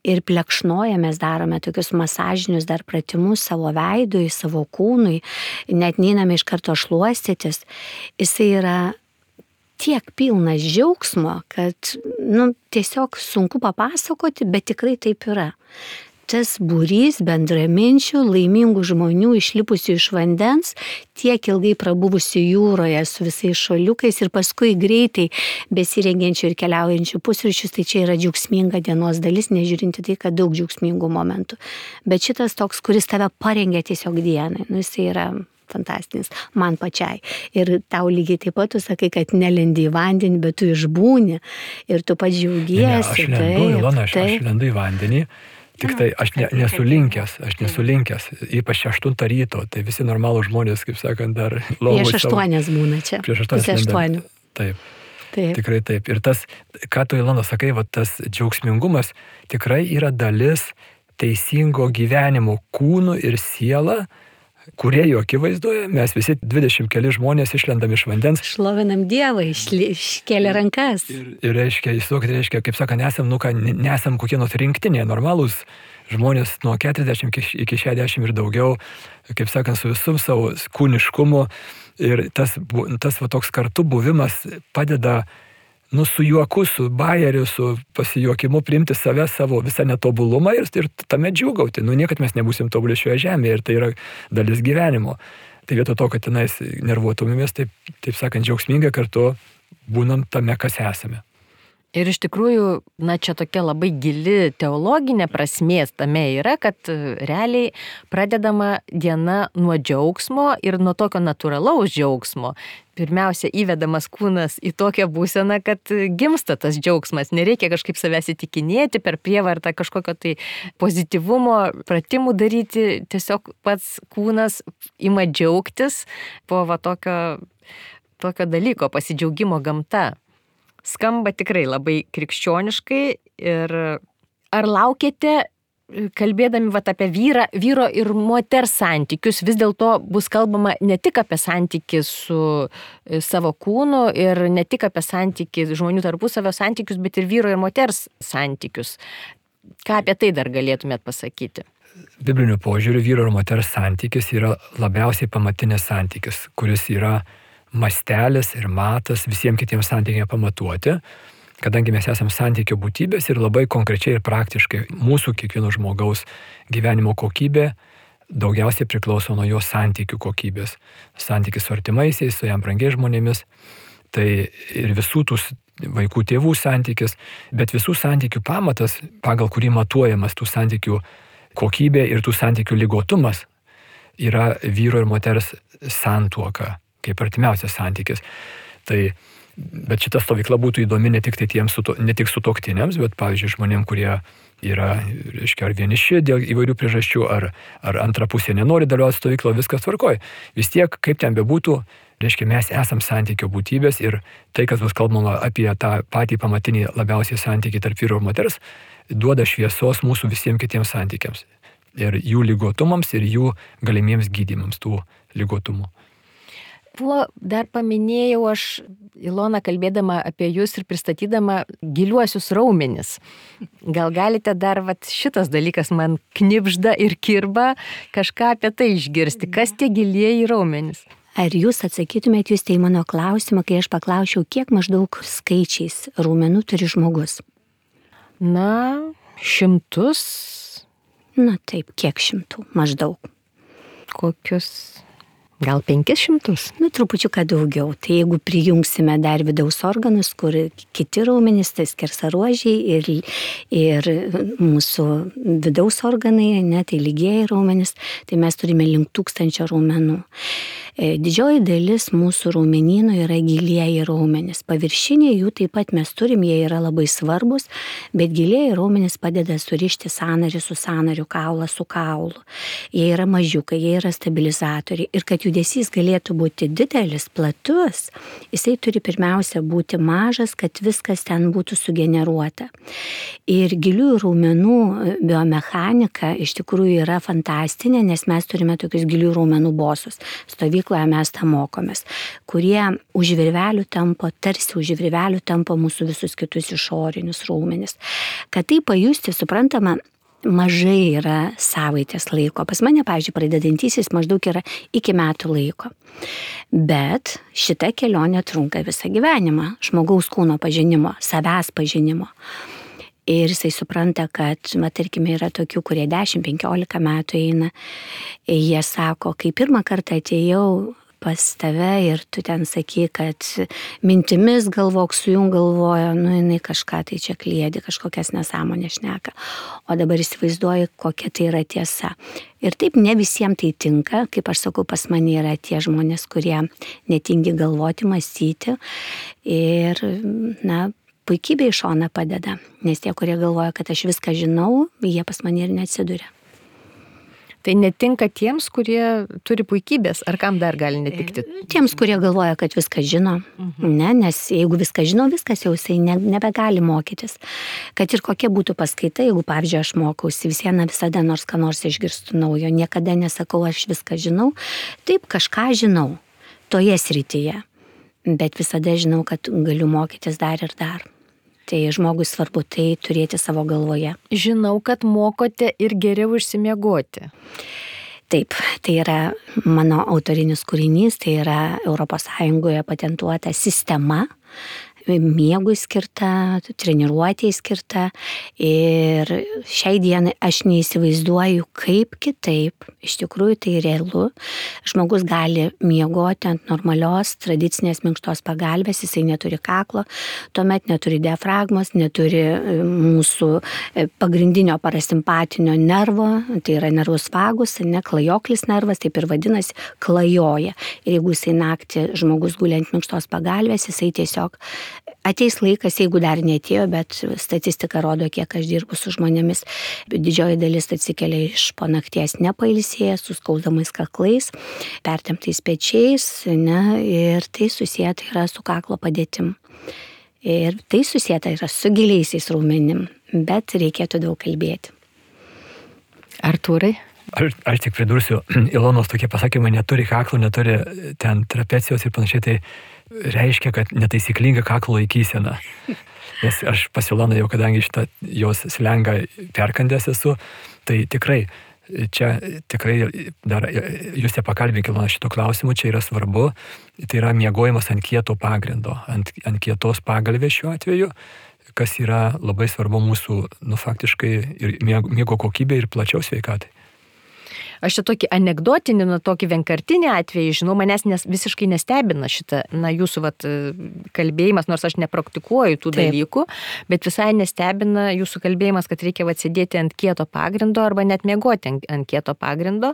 ir plekšnojamės, darome tokius masažinius dar pratimus savo veidui, savo kūnui, net neiname iš karto šluostytis, jisai yra tiek pilnas džiaugsmo, kad tiesiog sunku papasakoti, bet tikrai taip yra. Tas būrys bendraminčių, laimingų žmonių išlipusių iš vandens, tiek ilgai prabuvusių jūroje su visais šuoliukais ir paskui greitai besirengiančių ir keliaujančių pusryčius, tai čia yra džiaugsminga dienos dalis, nežiūrinti tai, kad daug džiaugsmingų momentų. Bet šitas toks, kuris tave parengia tiesiog dienai, jisai yra fantastinis, man pačiai. Ir tau lygiai taip pat tu sakai, kad nelendi į vandenį, bet tu išbūni ir tu pats džiaugiesi. Aš lendu į vandenį. Tik tai aš nesu linkęs, ypač 8 ryto, tai visi normalų žmonės, kaip sakant, dar lovoj. Prieš 8 būna čia. Prieš 8. Taip. Tikrai taip. Ir tas, ką tu, Ilona, sakai, tas džiaugsmingumas tikrai yra dalis teisingo gyvenimo kūnų ir siela, kurie jo akivaizdoje, mes visi 20 keli žmonės išlendam iš vandens. Šlovinam Dievą, iškėlė rankas. Ir reiškia, kaip sakant, nesam kokie nors rinktinė, normalūs žmonės nuo 40 iki 60 ir daugiau, kaip sakant, su visum savo kūniškumu. Ir tas toks kartu buvimas padeda su juoku, su bajeriu, su pasijuokimu priimti save, savo visą netobulumą ir tame džiūgauti. Niekad mes nebūsim tobuli šioje žemėje ir tai yra dalis gyvenimo. Tai vietoj to, kad tenais nervuotumėmės, taip sakant, džiaugsmingai kartu būnam tame, kas esame. Ir iš tikrųjų, čia tokia labai gili teologinė prasmės tame yra, kad realiai pradedama diena nuo džiaugsmo ir nuo tokio natūralaus džiaugsmo. Pirmiausia, įvedamas kūnas į tokią būseną, kad gimsta tas džiaugsmas. Nereikia kažkaip savęs įtikinėti per prievartą kažkokio tai pozityvumo pratimų daryti. Tiesiog pats kūnas ima džiaugtis po tokio dalyko, pasidžiaugimo gamta. Skamba tikrai labai krikščioniškai ir ar laukėte, kalbėdami apie vyro ir moters santykius, vis dėlto bus kalbama ne tik apie santykį su savo kūnu ir ne tik apie santykį žmonių tarpusavio santykius, bet ir vyro ir moters santykius. Ką apie tai dar galėtumėt pasakyti? Bibliniu požiūriu vyro ir moters santykis yra labiausiai pamatinis santykis, kuris yra mastelis ir matas visiems kitiems santykiams pamatuoti, kadangi mes esame santykio būtybės ir labai konkrečiai ir praktiškai mūsų kiekvieno žmogaus gyvenimo kokybė daugiausiai priklauso nuo jo santykių kokybės. Santykis su artimaisiais, su jam brangiais žmonėmis, tai ir visų tų vaikų tėvų santykis, bet visų santykių pamatas, pagal kurį matuojamas tų santykių kokybė ir tų santykių ligotumas, yra vyro ir moters santuoka, kaip artimiausias santykis. Bet šita stovykla būtų įdomi ne tik sutuoktiniams, bet, pavyzdžiui, žmonėms, kurie yra, ar vieniši dėl įvairių priežasčių, ar antra pusė nenori dalyvauti stovykloje, viskas tvarkoj. Vis tiek, kaip ten bebūtų, mes esam santykio būtybės ir tai, kas bus kalbama apie tą patį pamatinį labiausiai santykį tarp vyro ir moters, duoda šviesos mūsų visiems kitiems santykiams. Ir jų ligotumams, ir jų galimiems gydymams tų ligotumų. dar paminėjau aš, Ilona, kalbėdama apie jūs ir pristatydama giliuosius raumenis. Gal galite dar šitas dalykas man knibžda ir kirba kažką apie tai išgirsti. Kas tie gilieji raumenys? Ar jūs atsakytumėt jūs tai mano klausimą, kai aš paklausiau, kiek maždaug skaičiais raumenų turi žmogus? Na, 100. Na taip, kiek 100 maždaug? Kokius? Gal 500? Nu, trupučiuką daugiau. Tai jeigu prijungsime dar vidaus organus, kur kiti raumenys, tai skersaruožiai ir mūsų vidaus organai, tai lygieji raumenys, tai mes turime link 1000 raumenų. Didžioji dalis mūsų raumenynų yra gilieji raumenys. Paviršiniai jų taip pat mes turim, jie yra labai svarbus, bet gilieji raumenys padeda surišti sąnarį su sąnariu, kaulą su kaulu. Jie yra mažiukai, jie yra stabilizatoriai. Ir kad judesys galėtų būti didelis, platus, jisai turi pirmiausia būti mažas, kad viskas ten būtų sugeneruota. Ir giliųjų raumenų biomechanika iš tikrųjų yra fantastinė, nes mes turime tokius giliųjų raumenų bosus. Stovykloje mes tą mokomės, kurie už virvelių tampo, tarsi už virvelių tampo mūsų visus kitus išorinius raumenis. Kad tai pajusti, suprantama, mažai yra savaitės laiko. Pas mane, pavyzdžiui, pradedantysis maždaug yra iki metų laiko. Bet šita kelionė trunka visą gyvenimą. Žmogaus kūno pažinimo, savęs pažinimo. Ir jisai supranta, kad, tarkime, yra tokių, kurie 10-15 metų eina. Jie sako, kai pirmą kartą atėjau pas tave ir tu ten sakai, kad mintimis galvok, su jum galvojo, jinai kažką tai čia kliedi, kažkokias nesąmonės šneka. O dabar įsivaizduoju, kokia tai yra tiesa. Ir taip ne visiems tai tinka, kaip aš sakau, pas mane yra tie žmonės, kurie netingi galvoti, mąstyti. Ir, puikybė iš šona padeda, nes tie, kurie galvoja, kad aš viską žinau, jie pas mane ir neatsiduria. Tai netinka tiems, kurie turi puikybės, ar kam dar gali netikti? Tiems, kurie galvoja, kad viską žino, nes jeigu viską žino, viskas jau jisai nebegali mokytis. Kad ir kokia būtų paskaita, jeigu, pavyzdžiui, aš mokausi, visada nors ką nors išgirstu naujo, niekada nesakau, aš viską žinau, taip kažką žinau toje srityje, bet visada žinau, kad galiu mokytis dar ir dar. Tai žmogui svarbu tai turėti savo galvoje. Žinau, kad mokote ir geriau išsimiegoti. Taip, tai yra mano autorinis kūrinys, tai yra ES patentuota sistema, miegui skirta, treniruotėjai skirta. Ir šiai dienai aš neįsivaizduoju, kaip kitaip, iš tikrųjų tai realu. Žmogus gali miegoti ant normalios, tradicinės minkštos pagalbės, jisai neturi kaklo, tuomet neturi diafragmos, neturi mūsų pagrindinio parasimpatinio nervo, tai yra nervus vagus, klajoklis nervas, taip ir vadinasi, klajoja. Ir jeigu jisai naktį žmogus guli ant minkštos pagalbės, jisai tiesiog ateis laikas, jeigu dar neatėjo, bet statistika rodo, kiek aš dirbu su žmonėmis. Didžioji dalis atsikelia iš po nakties nepailsėję, su skausdamais kaklais, pertemptais pečiais, ir tai susieta yra su kaklo padėtim. Ir tai susieta yra su giliaisiais raumenim, bet reikėtų daug kalbėti. Artūrai? Aš tik pridursiu, Ilonos tokie pasakymai, neturi kaklo, neturi ten trapecijos ir panašiai, tai reiškia, kad netaisyklinga kaklo laikysena. Nes aš pas Iloną jau, kadangi šitą jos slengą perkandęs esu, tai tikrai, čia tikrai dar, jūs te pakalbėk Ilona šito klausimu, čia yra svarbu, tai yra miegojimas ant kieto pagrindo, ant kietos pagalvės šiuo atveju, kas yra labai svarbu mūsų, faktiškai ir miego kokybė ir plačiau sveikatai. Aš čia tokį anekdotinį, tokį vienkartinį atvejį, žinau, manęs visiškai nestebina šitą, jūsų kalbėjimas, nors aš nepraktikuoju tų dalykų, bet visai nestebina jūsų kalbėjimas, kad reikia sėdėti ant kieto pagrindo arba net miegoti ant kieto pagrindo,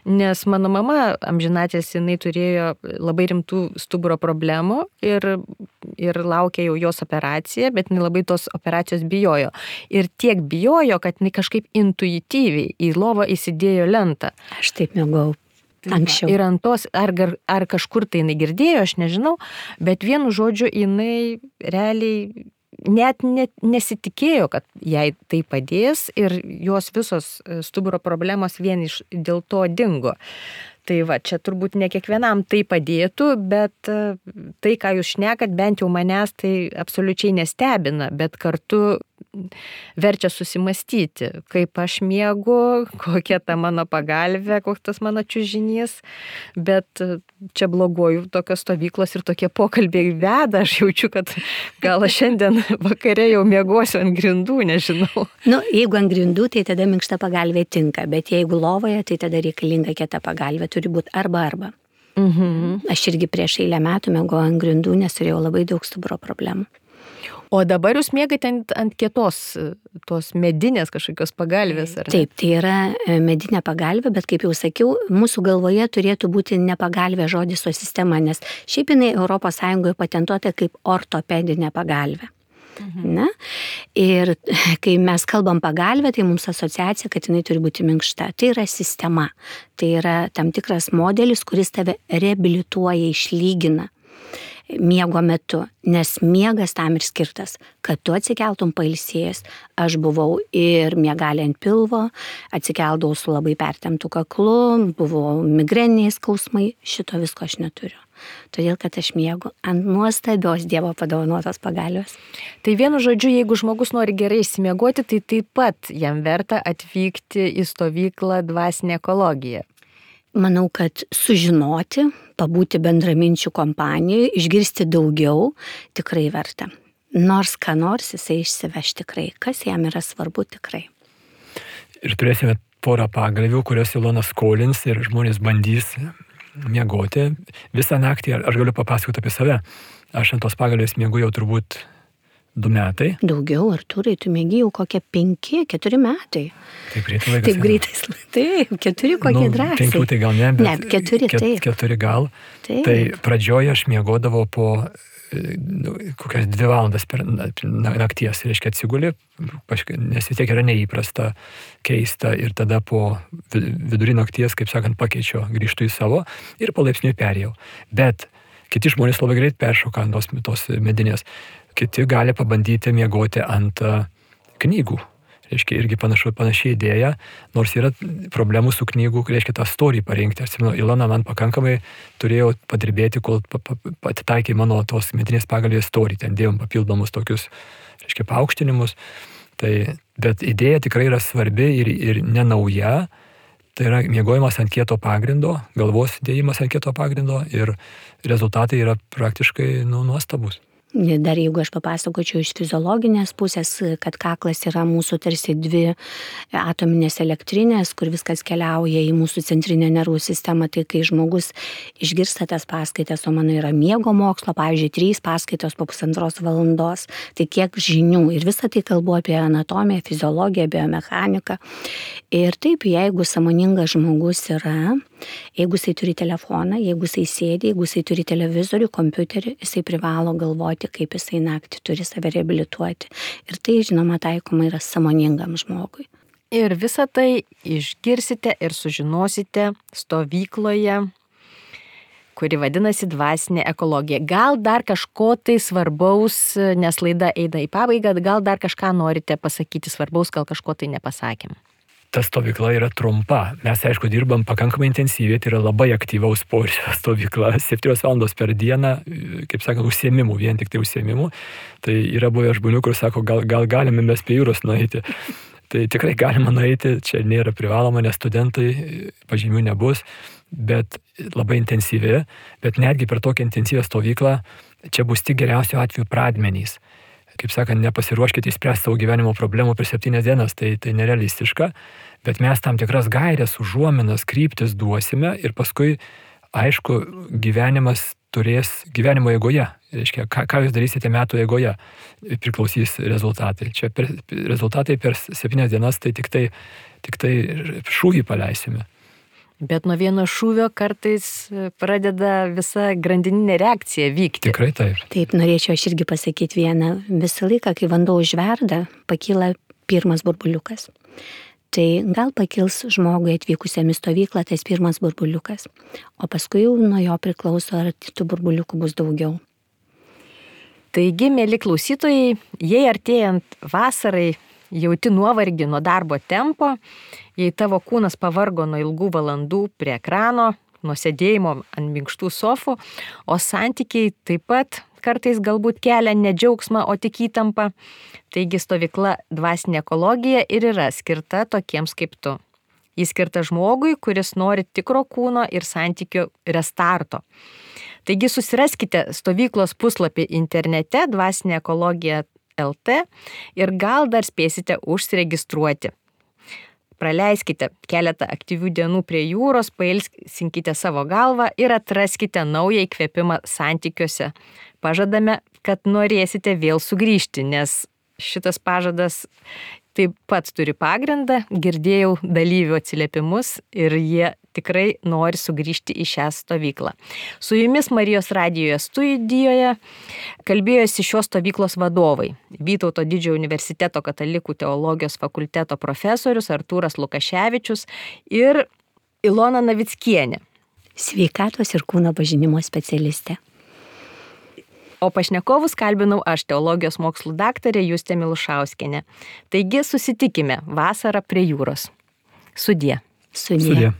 nes mano mama amžinatės, jinai turėjo labai rimtų stuburo problemų ir laukė jau jos operacija, bet jinai labai tos operacijos bijojo. Ir tiek bijojo, kad jinai kažkaip intuityviai į lovą įsidėjo lentą. Aš taip miegojau anksčiau. Ir ant tos, ar kažkur tai jinai girdėjo, aš nežinau, bet vienu žodžiu jinai realiai net nesitikėjo, kad jai tai padės ir jos visos stuburo problemos vien dėl to dingo. Tai va, čia turbūt ne kiekvienam tai padėtų, bet tai, ką jūs šnekat, bent jau manęs tai absoliučiai nestebina, bet kartu verčia susimastyti, kaip aš miegu, kokia ta mano pagalvė, koks tas mano čiužinys, bet čia bloguoju tokios stovyklos ir tokie pokalbiai veda, aš jaučiu, kad gal aš šiandien vakare jau miegosiu ant grindų, nežinau. Jeigu ant grindų, tai tada minkšta pagalvė tinka, bet jeigu lovoje, tai tada reikalinga kieta pagalvė, turi būti arba. Aš irgi prieš eilę metų miegojau ant grindų, nes turėjau labai daug stuburo problemų. O dabar jūs miegate ant kietos, tos medinės kažkokios pagalvės, ar ne? Taip, tai yra medinė pagalvė, bet kaip jau sakiau, mūsų galvoje turėtų būti ne pagalvė žodis, o sistema, nes šiaip jinai ES patentuota kaip ortopedinė pagalvė. Na? Ir kai mes kalbam pagalvę, tai mums asociacija, kad jinai turi būti minkšta. Tai yra sistema, tai yra tam tikras modelis, kuris tave reabilituoja, išlygina miego metu, nes miegas tam ir skirtas, kad tu atsikeltum pailsėjęs. Aš buvau ir miegalė ant pilvo, atsikeldavau su labai pertemptu kaklu, buvau migreniniai skausmai, šito visko aš neturiu. Todėl, kad aš miegu ant nuostabios Dievo padovanotos pagalbės. Tai vienu žodžiu, jeigu žmogus nori gerai išsimiegoti, tai taip pat jam verta atvykti į stovyklą dvasinė ekologija. Manau, kad sužinoti, pabūti bendraminčių kompanijoje, išgirsti daugiau, tikrai verta. Nors ką nors jisai išsiveš tikrai, kas jam yra svarbu tikrai. Ir turėsime porą pagalvių, kurios Ilona skolins ir žmonės bandys miegoti visą naktį. Aš galiu papasakoti apie save. Aš ant tos pagalvės miegu jau turbūt 2 metai. Daugiau, Artūrai, tu miegi jau kokie 5-4 metai. Taip greitai laikas. Taip greitai. Taip, 4 kokie drąsiai. 5 tai gal ne, bet ne, 4 taip. 4 gal. Taip. Tai pradžioje aš miegodavau po kokias 2 valandas per nakties, reiškia atsigulė, nes vis tiek yra neįprasta, keista ir tada po vidury nakties, kaip sakant, pakeičiau, grįžtu į savo ir palaipsniui perėjau. Bet kiti žmonės labai greit peršoka ant tos medinės. Kiti gali pabandyti miegoti ant knygų. Reiškia, irgi panašiai idėja, nors yra problemų su knygų, reiškia, tą storį parinkti. Aš atsimenu, Ilona man pakankamai turėjo padirbėti, kol patitaikė mano tos medinės pagalvės storį. Ten dėjom papildomus tokius, reiškia, paaukštinimus. Bet idėja tikrai yra svarbi ir nenauja. Tai yra miegojimas ant kieto pagrindo, galvos dėjimas ant kieto pagrindo ir rezultatai yra praktiškai nuostabus. Dar jeigu aš papasakočiau iš fiziologinės pusės, kad kaklas yra mūsų tarsi 2 atominės elektrinės, kur viskas keliauja į mūsų centrinę nervų sistemą, tai kai žmogus išgirsta tas paskaitas, o mano yra miego mokslo, pavyzdžiui, 3 paskaitos po 1,5 valandos, tai kiek žinių ir visą tai kalbu apie anatomiją, fiziologiją, biomechaniką. Ir taip, jeigu sąmoningas žmogus yra, jeigu jisai turi telefoną, jeigu jisai sėdi, jeigu jisai turi televizorių, kompiuterį, jisai privalo galvoti, kaip jisai naktį turi save reabilituoti. Ir tai, žinoma, taikoma yra sąmoningam žmogui. Ir visą tai išgirsite ir sužinosite stovykloje, kuri vadinasi dvasinė ekologija. Gal dar kažko tai svarbaus, nes laida eina į pabaigą, gal dar kažką norite pasakyti svarbaus, gal kažko tai nepasakėm. Ta stovykla yra trumpa. Mes, aišku, dirbam pakankamai intensyviai, tai yra labai aktyvaus poilsio stovykla. 7 valandos per dieną, kaip sakant, užsiėmimų, vien tik tai užsiėmimų. Tai yra buvę žmonių, kur sako, gal galime mes prie jūros nueiti. Tai tikrai galima nueiti, čia nėra privaloma, nes studentai pažymių nebus, bet labai intensyvi. Bet netgi per tokią intensyvią stovyklą čia bus tik geriausiu atveju pradmenys. Kaip sakant, nepasiruoškite įspręsti savo gyvenimo problemų per 7 dienas, tai nerealistiška, bet mes tam tikras gairės, užuominas, kryptis duosime ir paskui, aišku, gyvenimas turės gyvenimo eigoje. Reiškia, ką jūs darysite metų eigoje, priklausys rezultatai. Čia rezultatai per 7 dienas, tai tik tai šūvį paleisime. Bet nuo vieno šūvio kartais pradeda visa grandininė reakcija vykti. Tikrai taip. Taip, norėčiau aš irgi pasakyti vieną. Visą laiką, kai vanduo užverda, pakyla pirmas burbuliukas. Tai gal pakils žmogui atvykusiam į stovyklą tas pirmas burbuliukas. O paskui jau nuo jo priklauso, ar tų burbuliukų bus daugiau. Taigi, mėly klausytojai, jei artėjant vasarai jauti nuovargį nuo darbo tempo, jei tavo kūnas pavargo nuo ilgų valandų prie ekrano, nuo sėdėjimo ant minkštų sofų, o santykiai taip pat kartais galbūt kelia ne džiaugsmą, o tik įtampą. Taigi stovykla Dvasinė ekologija ir yra skirta tokiems kaip tu. Jis skirta žmogui, kuris nori tikro kūno ir santykių restarto. Taigi susiraskite stovyklos puslapį internete Dvasinė ekologija LT ir gal dar spėsite užsiregistruoti. Praleiskite keletą aktyvių dienų prie jūros, pailsinkite savo galvą ir atraskite naują įkvėpimą santykiuose. Pažadame, kad norėsite vėl sugrįžti, nes šitas pažadas taip pat turi pagrindą. Girdėjau dalyvių atsiliepimus ir jie tikrai nori sugrįžti į šią stovyklą. Su jumis Marijos radijoje studijoje kalbėjosi šios stovyklos vadovai. Vytauto Didžiojo universiteto katalikų teologijos fakulteto profesorius Artūras Lukaševičius ir Ilona Navickienė. Sveikatos ir kūno pažinimo specialistė. O pašnekovus kalbinau aš, teologijos mokslų daktarė Justė Milušauskienė. Taigi susitikime vasarą prie jūros. Sudie. Sudie.